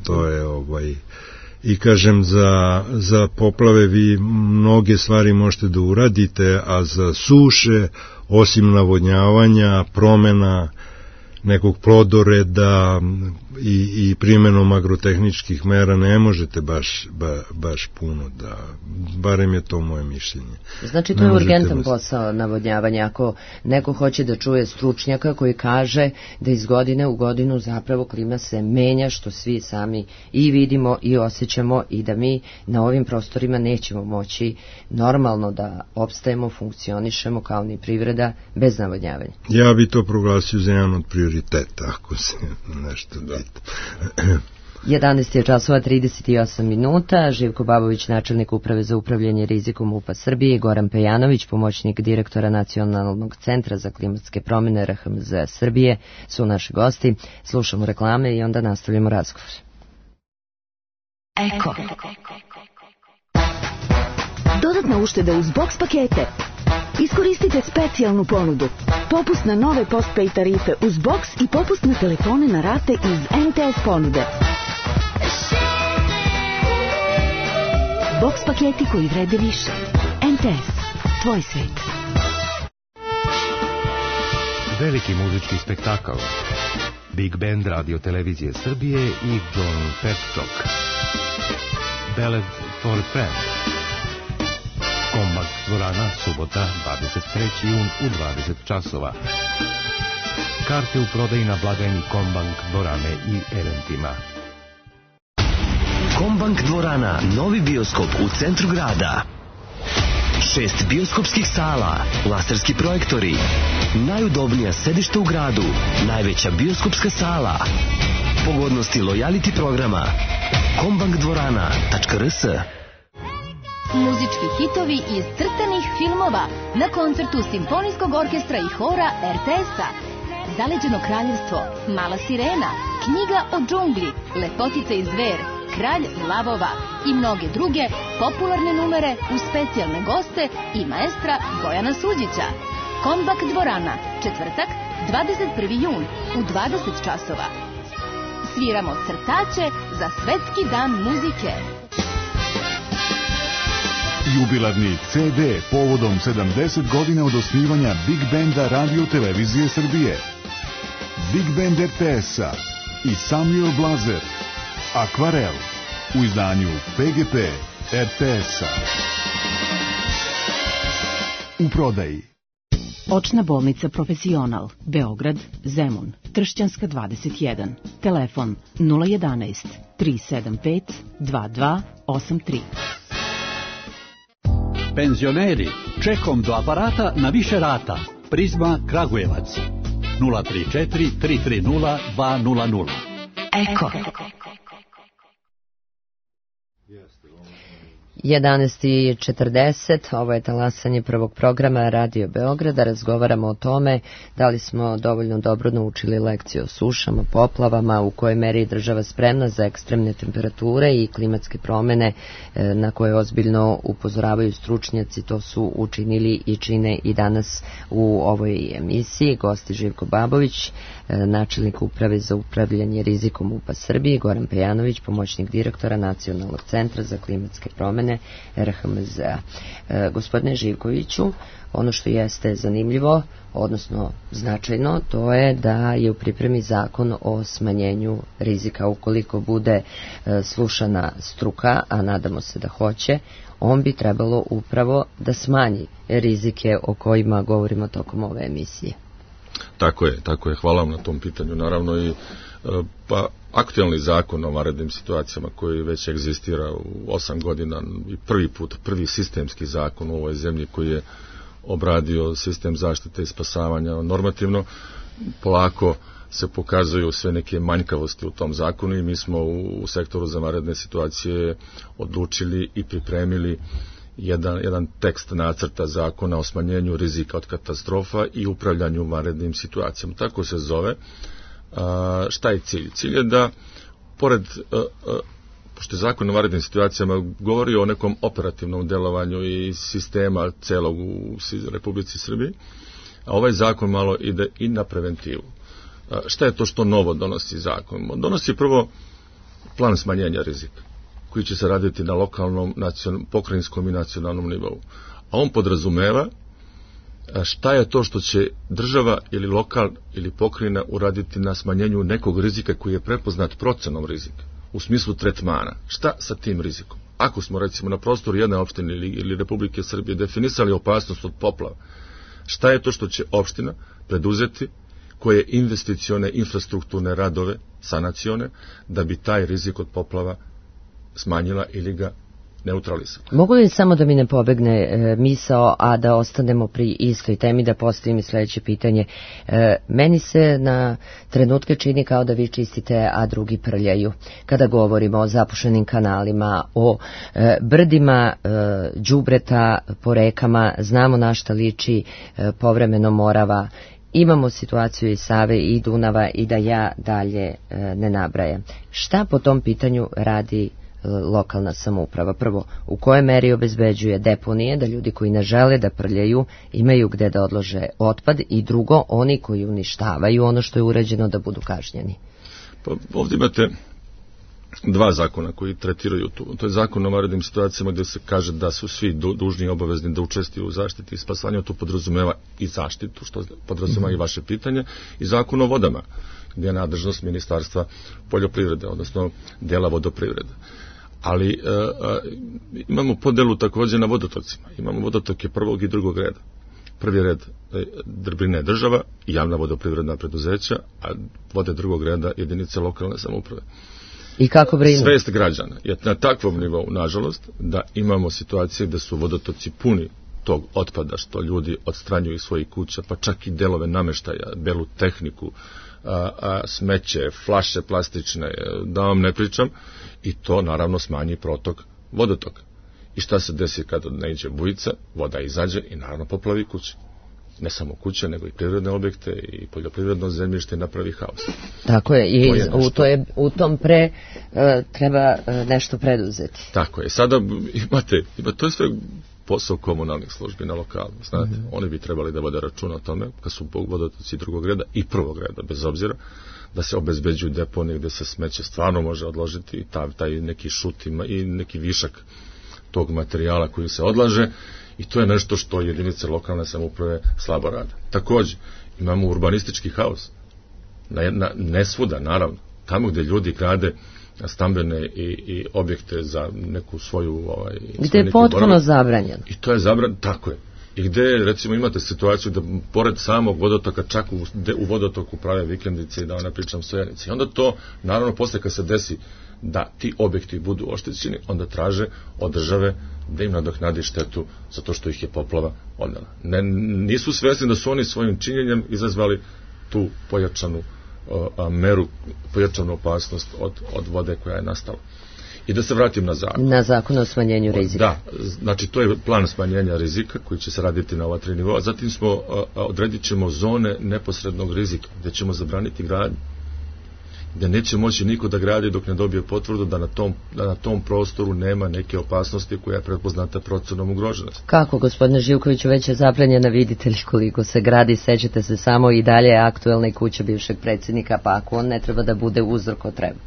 to je i kažem, za poplave vi mnoge stvari možete da uradite, a za suše, osim navodnjavanja, promena nekog plodoreda i primenom agrotehničkih mera ne možete baš puno, da, barem je to moje mišljenje. Znači to je urgentan posao navodnjavanja, ako neko hoće da čuje stručnjaka koji kaže da iz godine u godinu zapravo klima se menja, što svi sami i vidimo i osjećamo, i da mi na ovim prostorima nećemo moći normalno da opstajemo, funkcionišemo kao ni privreda bez navodnjavanja. Ja bi to proglasio za jedan od prioriteta, ako se nešto pita. 11:38 Živko Babović, načelnik Uprave za upravljanje rizikom MUP-a Srbije, Goran Pejanović, pomoćnik direktora Nacionalnog centra za klimatske promjene RHMZ Srbije, su naši gosti. Slušamo reklame i onda nastavljamo razgovor. Eko. Dodatna ušteda uz box pakete. Iskoristite specijalnu ponudu. Popust na nove postpaid tarife uz box i popust na telefone na rate iz MTS ponude. Box paketi koji vrede više. MTS. Tvoj svet. Veliki muzički spektakl. Big Band Radio Televizije Srbije i John Petcock. Ballad for a Friend. Kombak dvorana, subota, 23. jun u 20 časova. Karte u prodaji na blagajni Kombank dvorane i eventima. Kombank dvorana, novi bioskop u centru grada. 6 bioskopskih sala, laserski projektori, najudobnija sedišta u gradu, najveća bioskopska sala, pogodnosti lojality programa, kombankdvorana.rs. Muzički hitovi iz crtanih filmova na koncertu Simfonijskog orkestra i hora RTS-a. Zaleđeno kraljevstvo, Mala sirena, Knjiga o džungli, Lepotica i zver, Kralj lavova i mnoge druge popularne numere uz specijalne goste i maestra Bojana Suđića. Kombak dvorana, četvrtak, 21. jun u 20 časova. Sviramo crtače za Svetski dan muzike. Jubilarni CD povodom 70 godina od osnivanja Big Benda Radio Televizije Srbije. Big Band RTS-a i Samuel Blazer, Akvarel, u izdanju PGP RTS-a. U prodaji. Očna bolnica Profesional, Beograd, Zemun, Kršćanska 21, telefon 011 375 2283. Penzioneri, čekom do aparata na više rata. Prizma Kragujevac 034 330 200. Eko. 11:40, ovo je talasanje prvog programa Radio Beograda. Razgovaramo o tome da li smo dovoljno dobro naučili lekciju o sušama, poplavama, u kojoj meri je država spremna za ekstremne temperature i klimatske promene na koje ozbiljno upozoravaju stručnjaci. To su učinili i čine i danas u ovoj emisiji. Gosti Živko Babović, načelnik uprave za upravljanje rizikom UPA Srbije, Goran Pejanović, pomoćnik direktora Nacionalnog centra za klimatske promene RHMZ-a. Gospodine Živkoviću, ono što jeste zanimljivo, odnosno značajno, to je da je u pripremi zakon o smanjenju rizika. Ukoliko bude slušana struka, a nadamo se da hoće, on bi trebalo upravo da smanji rizike o kojima govorimo tokom ove emisije. Tako je. Hvala vam na tom pitanju. Naravno i pa aktualni zakon o vanrednim situacijama koji već egzistira u 8 godina i prvi sistemski zakon u ovoj zemlji koji je obradio sistem zaštite i spasavanja normativno, polako se pokazuju sve neke manjkavosti u tom zakonu i mi smo u sektoru za vanredne situacije odlučili i pripremili jedan tekst nacrta zakona o smanjenju rizika od katastrofa i upravljanju vanrednim situacijama. Tako se zove. Šta je cilj? Cilj je da, pored, pošto je zakon o vanrednim situacijama govori o nekom operativnom delovanju i sistema celog u Republici Srbiji, a ovaj zakon malo ide i na preventivu. Šta je to što novo donosi zakon? Donosi prvo plan smanjenja rizika, koji će se raditi na lokalnom, pokrajinskom i nacionalnom nivou. A on podrazumeva šta je to što će država ili lokal ili pokrajina uraditi na smanjenju nekog rizika koji je prepoznat procenom rizika, u smislu tretmana. Šta sa tim rizikom? Ako smo recimo na prostoru jedne opštine ili Republike Srbije definisali opasnost od poplava, šta je to što će opština preduzeti, koje investicione infrastrukturne radove, sanacione, da bi taj rizik od poplava smanjila ili ga neutralisala. Mogu li samo da mi ne pobegne misao, a da ostanemo pri istoj temi, da postavim i sledeće pitanje? Meni se na trenutke čini kao da vi čistite, a drugi prljaju. Kada govorimo o zapušenim kanalima, o brdima đubreta po rekama, znamo na šta liči povremeno Morava, imamo situaciju i Save i Dunava i da ja dalje ne nabrajam. Šta po tom pitanju radi lokalna samouprava? Prvo, u kojoj meri obezbeđuje deponije, da ljudi koji ne žele da prljaju imaju gde da odlože otpad, i drugo, oni koji uništavaju ono što je urađeno da budu kažnjeni? Pa ovdje imate dva zakona koji tretiraju to je zakon o vanrednim situacijama gde se kaže da su svi dužni i obavezni da učestvuju u zaštiti i spasanju, to podrazumeva i zaštitu, što podrazumeva i vaše pitanje, i zakon o vodama, gdje je nadležnost Ministarstva poljoprivrede, odnosno dela vodoprivrede. Ali imamo podelu također na vodotocima. Imamo vodotoke prvog i drugog reda. Prvi red brine država i javna vodoprivredna preduzeća, a vode drugog reda jedinice lokalne samouprave. I kako brinu? Svest građana je na takvom nivou, nažalost, da imamo situacije da su vodotoci puni tog otpada što ljudi odstranjuju iz svojih kuća, pa čak i delove nameštaja, belu tehniku, smeće, flaše plastične, da vam ne pričam, i to naravno smanji protok vodotoka. I šta se desi kada ne iđe bujica, voda izađe i naravno poplavi kuće. Ne samo kuće, nego i privredne objekte i poljoprivredno zemljište, napravi haos. Tako je, i u tom treba nešto preduzeti. Tako je, sada to je sve posao komunalnih službi na lokalu, znate, oni bi trebali da vode računa o tome, kad su vodotoci drugog reda i prvog reda, bez obzira, da se obezbeđuju deponije gde se smeće stvarno može odložiti i taj neki šut i neki višak tog materijala koji se odlaže, i to je nešto što jedinice lokalne samouprave slabo rade. Takođe, imamo urbanistički haos. Ne svuda, naravno. Tamo gde ljudi grade stambene i objekte za neku svoju... Gde je potpuno zabranjeno. I to je zabranjeno, tako je. I gde, recimo, imate situaciju da pored samog vodotoka, čak u vodotoku prave vikendice i da ne pričam stojanice. I onda to, naravno, posle kad se desi da ti objekti budu oštećeni, onda traže od države da im nadoknadi štetu zato što ih je poplava odnela. Nisu svesni da su oni svojim činjenjem izazvali tu pojačanu meru, pojačanu opasnost od vode koja je nastala. I da se vratim na zakon. Na zakon o smanjenju rizika. Da, znači to je plan smanjenja rizika koji će se raditi na ova 3 nivoa. Zatim odredit ćemo zone neposrednog rizika gde ćemo zabraniti gradnju, gde neće moći niko da gradi dok ne dobije potvrdu da na tom prostoru nema neke opasnosti koja je prepoznata procenom ugroženosti. Kako, gospodine Živkoviću, već je zabranjena, vidite li koliko se gradi, sećate se samo i dalje aktuelna i kuća bivšeg predsjednika, pa ako on ne treba da bude uzor ko treba.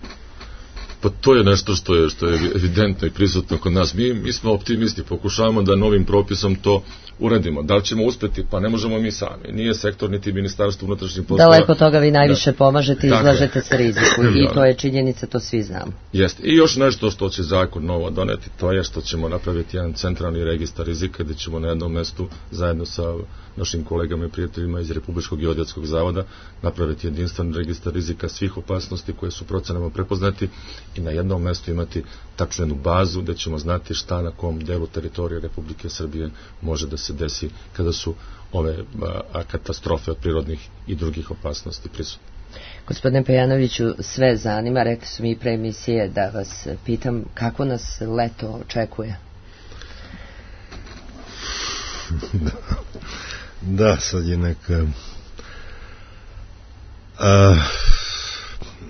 Pa to je nešto što je evidentno i prisutno kod nas. Mi smo optimisti, pokušavamo da novim propisom to uradimo. Da li ćemo uspeti? Pa ne možemo mi sami. Nije sektor niti ministarstvo unutrašnjih poslova. Daleko toga vi najviše pomažete i izlažete se riziku. I to je činjenica, to svi znamo. Jeste. I još nešto što će zakon novo doneti, to je što ćemo napraviti jedan centralni registar rizika gde ćemo na jednom mestu zajedno sa našim kolegama i prijateljima iz Republičkog geodetskog zavoda napraviti jedinstven registar rizika svih opasnosti koje su procenama prepoznati i na jednom mestu imati tačnu jednu bazu gde ćemo znati šta na kom delu teritorije Republike Srbije može da se desi kada su ove katastrofe od prirodnih i drugih opasnosti prisutne. Gospodine Pejanoviću, sve zanima, rekli su mi i pre emisije da vas pitam kako nas leto očekuje. Da, sad je neka...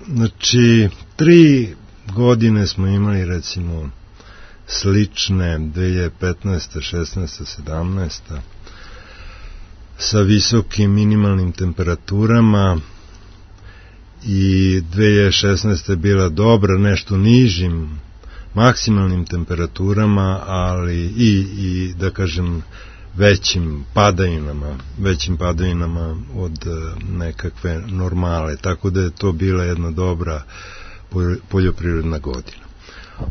Znači, 3 godine smo imali, recimo, slične 2015. 16. 17. sa visokim minimalnim temperaturama i 2016. je bila dobra, nešto nižim maksimalnim temperaturama, ali i da kažem većim padajinama od nekakve normale, tako da je to bila jedna dobra poljoprivredna godina.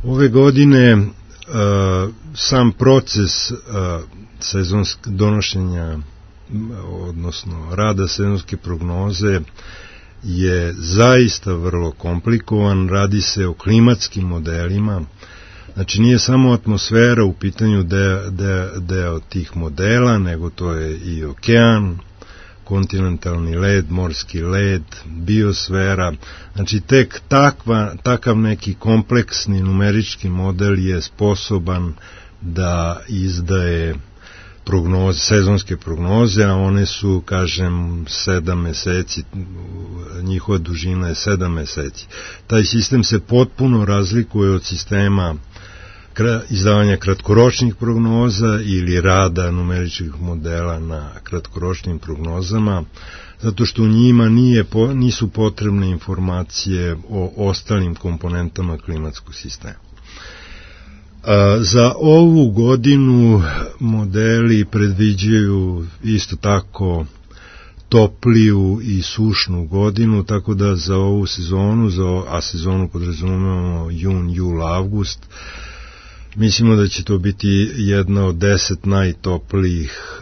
Ove godine sam proces donošenja, odnosno rada sezonske prognoze je zaista vrlo komplikovan, radi se o klimatskim modelima, znači nije samo atmosfera u pitanju deo tih modela, nego to je i okean, kontinentalni led, morski led, biosfera, znači tek takav neki kompleksni numerički model je sposoban da izdaje sezonske prognoze, a one su, kažem, 7 meseci, njihova dužina je 7 meseci. Taj sistem se potpuno razlikuje od sistema izdavanja kratkoročnih prognoza ili rada numeričkih modela na kratkoročnim prognozama, zato što u njima nisu potrebne informacije o ostalim komponentama klimatskog sistema. Za ovu godinu modeli predviđaju isto tako topliju i sušnu godinu, tako da za ovu sezonu, a sezonu podrazumevamo jun, jul, avgust, mislimo da će to biti jedna od 10 najtoplijih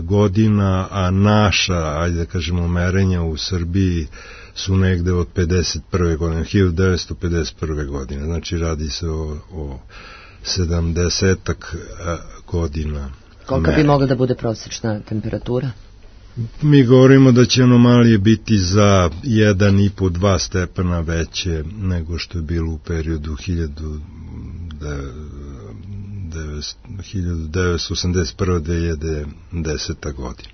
godina, a naša, ajde da kažemo, merenja u Srbiji su negde od 51. godine, 1951. godine, znači radi se o 70-ak godina Kolika bi mogla da bude prosječna temperatura? Mi govorimo da će anomalije biti za 1,5-2 stepena veće nego što je bilo u periodu 1981-2010. godina.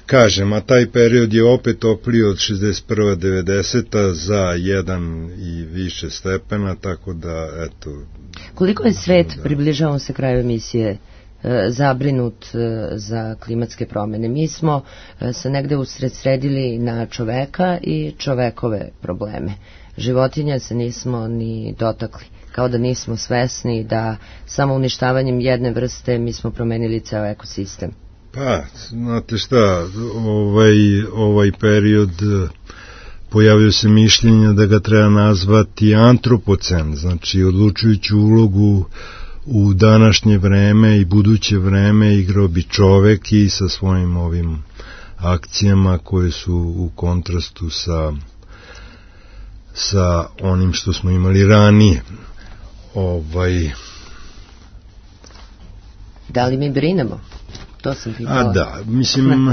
Kažem, a taj period je opet topliji od 61-90 za 1 i više stepena, tako da, eto... Koliko je svet, približavamo se kraju emisije, zabrinut za klimatske promjene? Mi smo se negde usredsredili na čoveka i čovekove probleme. Životinja se nismo ni dotakli, kao da nismo svesni da samo uništavanjem jedne vrste mi smo promenili ceo ekosistem. Pa, znate šta, ovaj period pojavio se mišljenja da ga treba nazvati antropocen, znači odlučujuću ulogu u današnje vreme i buduće vreme igrao bi čovek i sa svojim ovim akcijama koje su u kontrastu sa onim što smo imali ranije. Da li mi brinemo? To sam pitala. A da, mislim...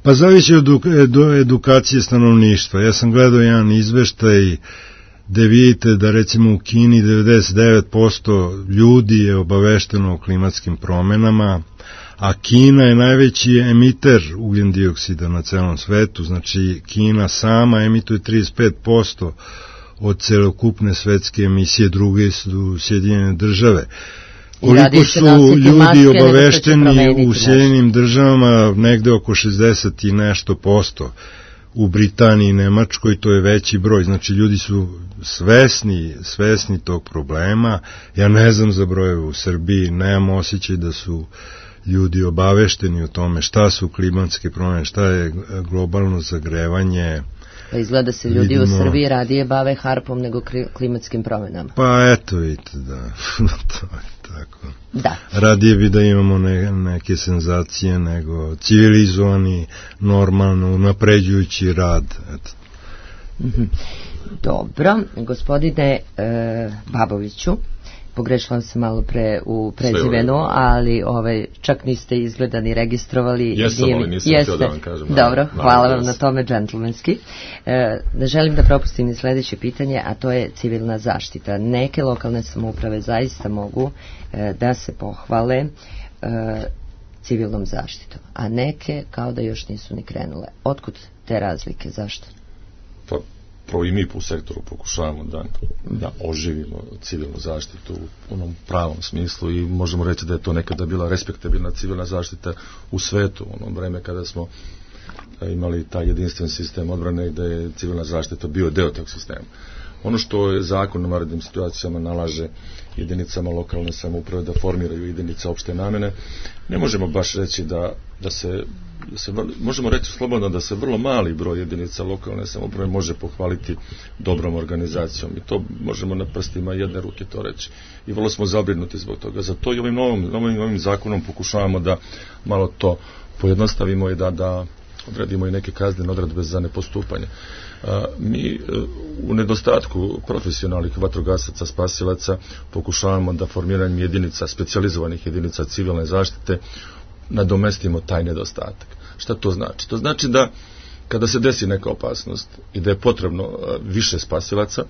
Pa zavisi od edukacije stanovništva. Ja sam gledao jedan izveštaj gde vidite da recimo u Kini 99% ljudi je obavešteno o klimatskim promenama, a Kina je najveći emiter ugljen dioksida na celom svetu, znači Kina sama emituje 35% od celokupne svetske emisije, druge su Sjedinjene države. Koliko su ljudi obavešteni u Sjedinjenim državama, negde oko 60 i nešto posto. U Britaniji i Nemačkoj to je veći broj, znači ljudi su svesni tog problema. Ja ne znam za brojeve u Srbiji, nemam osjećaj da su ljudi obavešteni o tome šta su klimatske promjene, šta je globalno zagrevanje. Pa izgleda se ljudi u Srbiji radije bave harpom nego klimatskim promjenama. Pa eto vidite, da, to je tako. Da. Radije bi da imamo neke senzacije nego civilizovani, normalno, napređujući rad. Eto. Dobro, gospodine Baboviću, pogrešila sam malo pre u prezimenu, ali čak niste izgleda ni registrovali. Jesam, ali nisam htio da vam kažem. Dobro, hvala vam na tome, džentlmenski. Ne želim da propustim ni sledeće pitanje, a to je civilna zaštita. Neke lokalne samouprave zaista mogu da se pohvale civilnom zaštitom, a neke kao da još nisu ni krenule. Otkud te razlike, zašto? Pa, prvo i mi u sektoru pokušavamo da oživimo civilnu zaštitu u onom pravom smislu i možemo reći da je to nekada bila respektabilna civilna zaštita u svetu, u onom vreme kada smo imali taj jedinstven sistem odbrane i da je civilna zaštita bio deo tog sistema. Ono što je zakon u vanrednim situacijama nalaže jedinicama lokalne samouprave da formiraju jedinice opšte namene, ne možemo baš reći da se možemo reći slobodno da se vrlo mali broj jedinica lokalne samouprave može pohvaliti dobrom organizacijom i to možemo na prstima jedne ruke to reći. I vrlo smo zabrinuti zbog toga. Zato i ovim novim zakonom pokušavamo da malo to pojednostavimo i da odredimo i neke kaznene odredbe za nepostupanje. Mi u nedostatku profesionalnih vatrogasaca, spasilaca pokušavamo da formiranjem jedinica, specijalizovanih jedinica civilne zaštite nadomestimo taj nedostatak. Šta to znači? To znači da kada se desi neka opasnost i da je potrebno više spasilaca,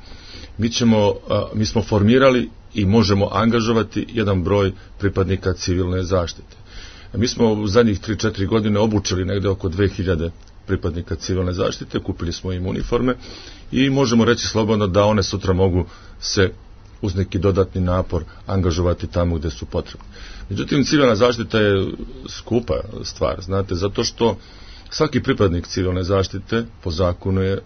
mi smo formirali i možemo angažovati jedan broj pripadnika civilne zaštite. Mi smo u zadnjih 3-4 godine obučili negde oko 2000 pripadnika civilne zaštite, kupili smo im uniforme i možemo reći slobodno da one sutra mogu se uz neki dodatni napor angažovati tamo gde su potrebni. Međutim, civilna zaštita je skupa stvar, znate, zato što svaki pripadnik civilne zaštite po zakonu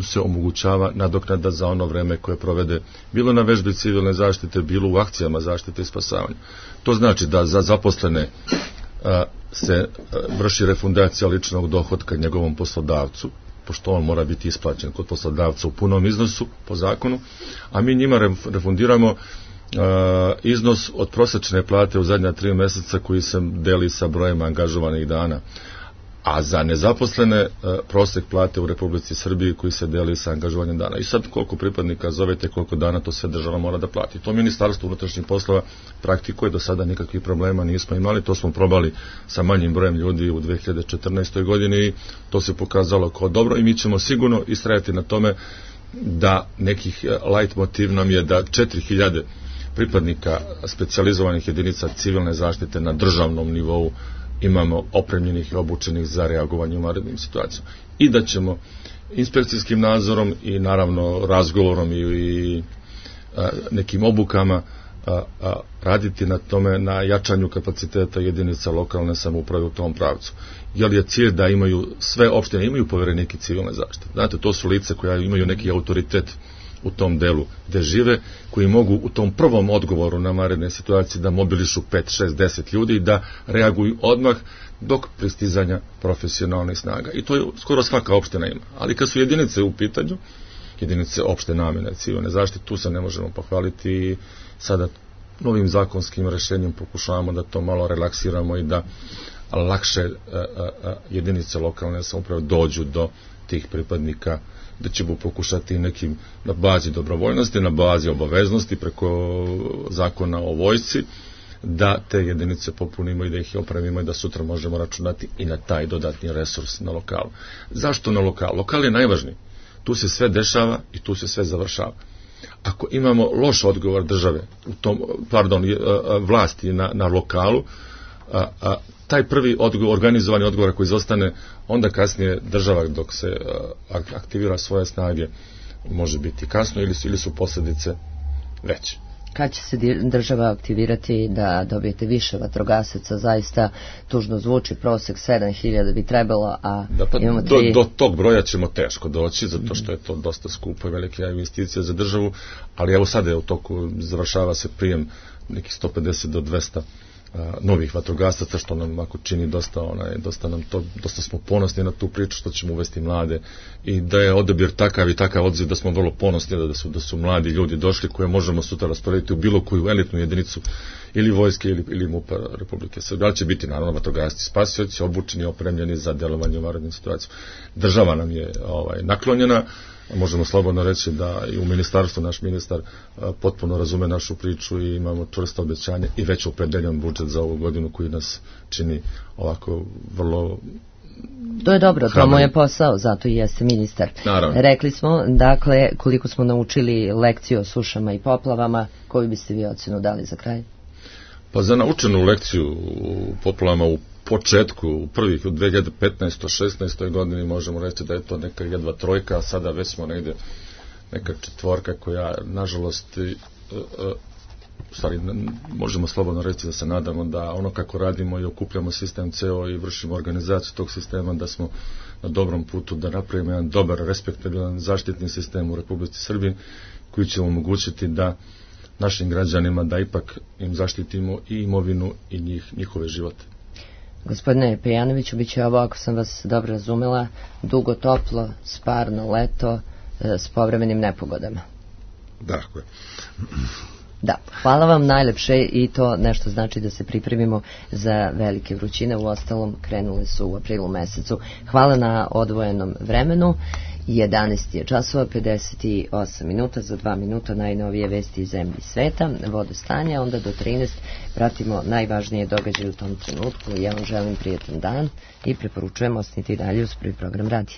se omogućava nadoknada za ono vreme koje provede bilo na vežbi civilne zaštite, bilo u akcijama zaštite i spasavanja. To znači da za zaposlene se vrši refundacija ličnog dohotka njegovom poslodavcu, pošto on mora biti isplaćen kod poslodavca u punom iznosu po zakonu, a mi njima refundiramo iznos od prosečne plate u zadnja 3 meseca koji se deli sa brojem angažovanih dana. a za nezaposlene prosek plate u Republici Srbiji koji se deli sa angažovanjem dana. I sad koliko pripadnika zovete, koliko dana, to sve država mora da plati. To Ministarstvo unutrašnjih poslova praktikuje, do sada nikakvih problema nismo imali, to smo probali sa manjim brojem ljudi u 2014. godini i to se pokazalo kao dobro i mi ćemo sigurno istrajati na tome da nekih light motiv nam je da 4000 pripadnika specijalizovanih jedinica civilne zaštite na državnom nivou imamo opremljenih i obučenih za reagovanje u vanrednim situacijama. I da ćemo inspekcijskim nadzorom i naravno razgovorom i nekim obukama raditi na tome, na jačanju kapaciteta jedinica lokalne samouprave u tom pravcu. Jer je cilj da imaju, sve opštine imaju poverenike civilne zaštite. Znate, to su lice koja imaju neki autoritet u tom delu gde žive, koji mogu u tom prvom odgovoru na vanredne situacije da mobilišu 5, 6, 10 ljudi i da reaguju odmah dok pristizanja profesionalnih snaga. I to je skoro svaka opština ima. Ali kad su jedinice u pitanju, jedinice opšte namene civilne zaštite, tu se ne možemo pohvaliti i sada novim zakonskim rešenjem pokušavamo da to malo relaksiramo i da lakše jedinice lokalne samouprave dođu do tih pripadnika, da ćemo pokušati nekim na bazi dobrovoljnosti, na bazi obaveznosti preko zakona o vojsci, da te jedinice popunimo i da ih opremimo i da sutra možemo računati i na taj dodatni resurs na lokalu. Zašto na lokalu? Lokal je najvažniji. Tu se sve dešava i tu se sve završava. Ako imamo loš odgovor države, vlasti na lokalu, taj prvi organizovani odgovor koji izostane, onda kasnije država dok se aktivira svoje snage može biti kasno ili su posljedice veće. Kad će se država aktivirati da dobijete više vatrogasaca? Zaista tužno zvuči, prosek 7000 bi trebalo, a imamo 3... Do tog broja ćemo teško doći, zato što je to dosta skupo i velika investicija za državu, ali evo sada je u toku, završava se prijem nekih 150 do 200 novih vatrogasaca, što nam ako čini dosta smo ponosni na tu priču, što ćemo uvesti mlade i da je odabir takav i takav odziv da smo vrlo ponosni da su mladi ljudi došli koje možemo sutra rasporediti u bilo koju elitnu jedinicu ili vojske ili MUP-a Republike Srbije. Ali će biti naravno vatrogasci spasioci, obučeni, opremljeni za delovanje u vanrednim situacijama. Država nam je naklonjena. Možemo slobodno reći da i u ministarstvu naš ministar potpuno razume našu priču i imamo čvrsto obećanje i već opredeljen budžet za ovu godinu koji nas čini ovako vrlo... To je dobro, to mu je posao, zato i jeste ministar. Naravno. Rekli smo, dakle, koliko smo naučili lekciju o sušama i poplavama, koju biste vi ocenu dali za kraj? Pa za naučenu lekciju u poplavama u početku, u prvih, u 2015. 16. godini možemo reći da je to neka jedva trojka, a sada već smo negde neka četvorka koja, nažalost, možemo slobodno reći da se nadamo da ono kako radimo i okupljamo sistem ceo i vršimo organizaciju tog sistema, da smo na dobrom putu da napravimo jedan dobar, respektabilan zaštitni sistem u Republici Srbiji koji će omogućiti da našim građanima da ipak im zaštitimo i imovinu i njihove živote. Gospodine Pejanoviću, bit će ovo, ako sam vas dobro razumela, dugo, toplo, sparno leto s povremenim nepogodama. Dakle. Da, hvala vam najlepše i to nešto znači da se pripremimo za velike vrućine, u ostalom krenule su u aprilu mesecu. Hvala na odvojenom vremenu. 11 je časova, 58 minuta, za 2 minuta najnovije vesti iz zemlji i sveta, vodostanja, onda do 13 pratimo najvažnije događaje u tom trenutku. Ja vam želim prijetan dan i preporučujem ostanite i dalje uz prvi program radija.